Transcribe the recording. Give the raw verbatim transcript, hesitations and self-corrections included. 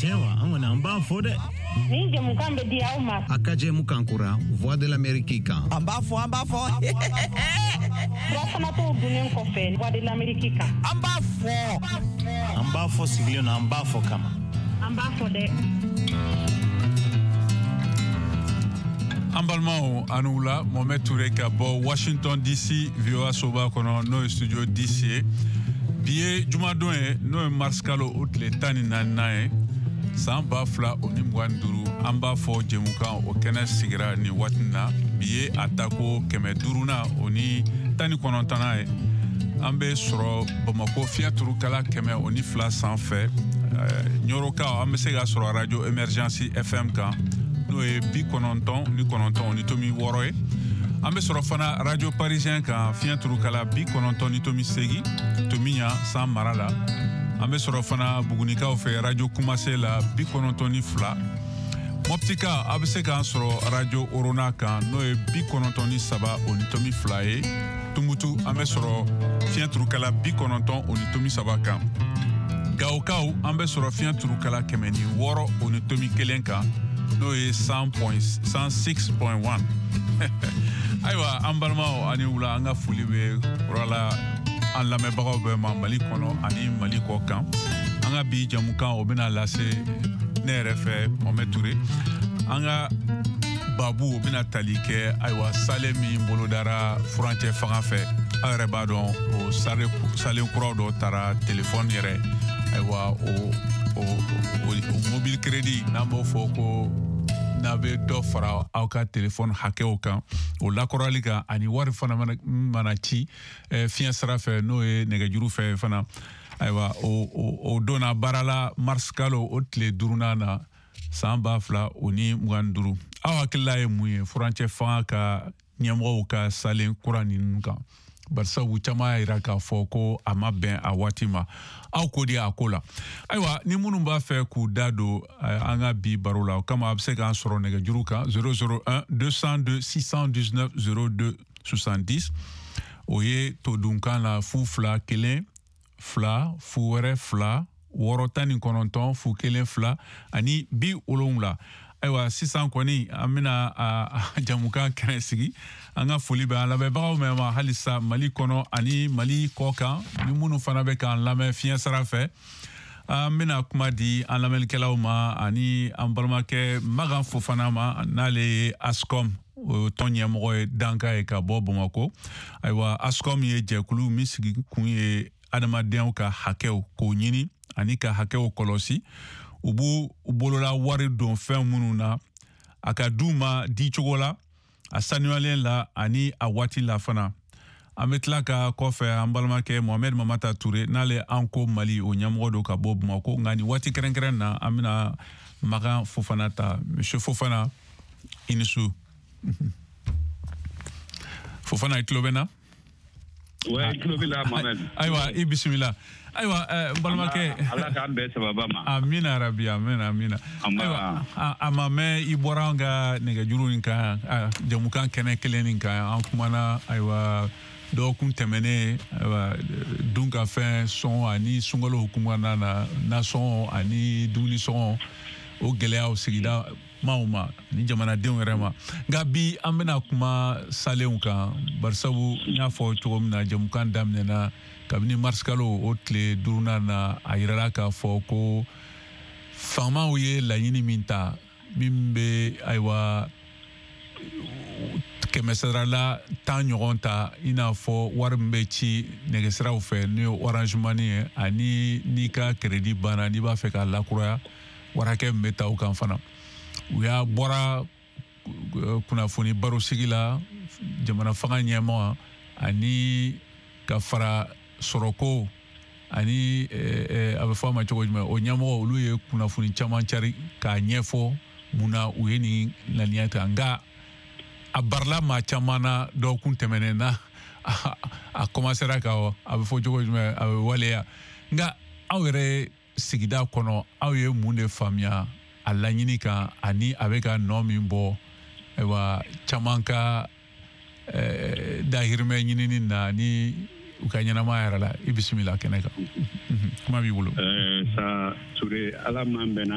Tiɲɛ wa, an kɔni an b'a fɔ dɛ. Nin jɛmukan bɛ di aw ma. A ka jɛmukan kura Voix de l'Amérique kan. An b'a fɔ, an b'a fɔ. Furafanatɔw dunnen kɔfɛ Voix de l'Amérique kan. An b'a fɔ. An b'a fɔ sigilen na, an b'a fɔ kama. An b'a fɔ dɛ. An balimaw, a ni wula. Mohamed Touré ka bɔ Washington D C, V O A soba kɔnɔ, n'o ye studio D C ye. Bi ye jumadon ye, n'o ye mars kalo o tile tan ni naaninan ye, san ba fila o ni mugan ni duuru. An b'a fɔ jɛmukan o kɛnɛ sigira nin waati na. Bi ye a tako kɛmɛ duurunan o ni tan ni kɔnɔntɔnnan ye. An bɛ sɔrɔ Bamako fiɲɛ turukala kɛmɛ o ni fila sanfɛ. Ɲɔrɔkaw, an bɛ se ka sɔrɔ radio Émergence F M kan, n'o ye bi kɔnɔntɔn ni kɔnɔntɔn o ni tomi wɔɔrɔ ye. An bɛ sɔrɔ fana radio Parisien kan, fiɲɛ turukala bi kɔnɔntɔn ni tomi segi, Tomiɲa san mara la. An bɛ sɔrɔ fana Bugunikaw fɛ, radio Kumase la, bi kɔnɔntɔn ni fila. Mɔptika, a bɛ se k'an sɔrɔ radio Orona kan, n'o ye bi kɔnɔntɔn ni saba o ni tomi fila ye. Tumutu, an bɛ sɔrɔ fiɲɛ turukala bi kɔnɔntɔn o ni tomi saba kan. Gawokaw, an bɛ sɔrɔ fiɲɛ turukala kɛmɛ ni wɔɔrɔ o ni tomi kelen kan, n'o ye cent six point un. Ayiwa, an balimaw, ani wula. An ka foli bɛ kura an lamɛnbagaw bɛɛ ma, Mali kɔnɔ ani Mali kɔ kan. An ka bi jamukan o bɛna lase ne yɛrɛ fɛ, Mohamed Touré. An ka babu o bɛna tali kɛ, ayiwa, sale min bolodara furancɛ fanga fɛ. Aw yɛrɛ b'a dɔn, o salen kuraw dɔ taara telefɔni yɛrɛ, ayiwa, o o o mobile crédit, n'an b'o fɔ ko n'a bɛ dɔ fara aw ka telefɔni hakɛw kan, o lakɔrɔli kan, ani wari fana mana ci fiɲɛ sira fɛ, n'o ye nɛgɛjuru fɛ fana. Ayiwa, o o donna baara la mars kalo o tile duurunan na, san ba fila o ni mugan ni duuru. Aw hakilila ye mun ye furancɛ fanga ka ɲɛmɔgɔw ka salen kura ninnu kan? Barisabu caman y'a yira k'a fɔ ko a ma bɛn a waati ma. Aw ko di a ko la? Ayiwa, ni minnu b'a fɛ k'u da don an ka bi baro la, o kama a bɛ se k'an sɔrɔ nɛgɛjuru kan zéro zéro un deux cent deux six cent dix-neuf zéro deux soixante-dix. O ye todunkan la fu fila kelen fila fu wɛrɛ fila wɔɔrɔ tan ni kɔnɔntɔn fu kelen fila ani bi wolonwula. Ayiwa, sisan kɔni an bɛna a jamukan kɛnɛ sigi. An ka foli bɛ an lamɛnbagaw mɛn ma halisa Mali kɔnɔ ani Mali kɔ kan, ni minnu fana bɛ k'an lamɛn fiɲɛ sira fɛ. An bɛna kuma di an lamɛnnikɛlaw ma ani an balimakɛ Magan Fofana ma, n'ale ye ASCOM o tɔn ɲɛmɔgɔ ye, danka ye ka bɔ Bamakɔ. Ayiwa, ASCOM ye jɛkulu min sigi kun ye adamadenw ka hakɛw k'o ɲini ani ka hakɛw kɔlɔsi. U b'u bolola wari don fɛn minnu na, a ka d'u ma di cogo la, a sanuyalen la ani a waati la fana. An bɛ tila ka kɔfɛ an balimakɛ Mohamed Mamata Ture, n'ale an ko Mali o ɲɛmɔgɔ don ka bɔ Bamakɔ. Nka nin waati kɛrɛnkɛrɛn na, an bɛna Magan Fofana ta. Monsieur Fofana, i ni su. Fofana, i tulo bɛ na? Ouais, tulo b'i la, Mohamed. Ayiwa, i bisimila. Ayiwa, n balimakɛ. Ala k'an bɛn sababa ma. Amina rabi, amina, amina. Ayiwa, a ma mɛn i bɔra an ka nɛgɛjuru nin kan, jamukan kɛnɛ kelen nin kan. An kumana, ayiwa, dɔgɔkun tɛmɛnen, ayiwa, dunkafɛn sɔngɔ ani sunkalo hukumu kɔnɔna na, nasɔngɔ ani dumuni sɔngɔ, o gɛlɛyaw sigida maaw ma ni jamanadenw yɛrɛ ma. Nka bi an bɛna kuma salenw kan, barisabu n y'a fɔ cogo min na jamukan daminɛna, kabini marisikalo o tile duurunan na, a yirala k'a fɔ ko faamaw ye laɲini min ta, min bɛ, ayiwa, kɛmɛ sarala tan ɲɔgɔn ta, i n'a fɔ wari min bɛ ci nɛgɛsiraw fɛ, n'o ye Orange Money ye, ani n'i ka crédit banna, n'i b'a fɛ k'a lakuraya, wari hakɛ min bɛ ta o kan fana. U y'a bɔra kunnafoni barosigi la, jamana fanga ɲɛmaa ani ka fara sɔrɔko ani a bɛ fɔ a ma cogo jumɛn, o ɲɛmɔgɔ, olu ye kunnafoni caman cari k'a ɲɛfɔ mun na u ye nin ŋaniya ta. Nka a barila maa caman na dɔgɔkun tɛmɛnen na, a commencera ka, a bɛ fɔ cogo jumɛn, a bɛ waleya. Nka aw yɛrɛ sigida kɔnɔ, aw ye mun de faamuya a laɲini kan, ani a bɛ ka nɔ min bɔ, ayiwa, caman ka dahirimɛ ɲinini na ni u ka ɲɛnamaya yɛrɛ la? I bisimila kɛnɛ kan, kuma b'i bolo. Sa Ture, Ala m'an bɛnna.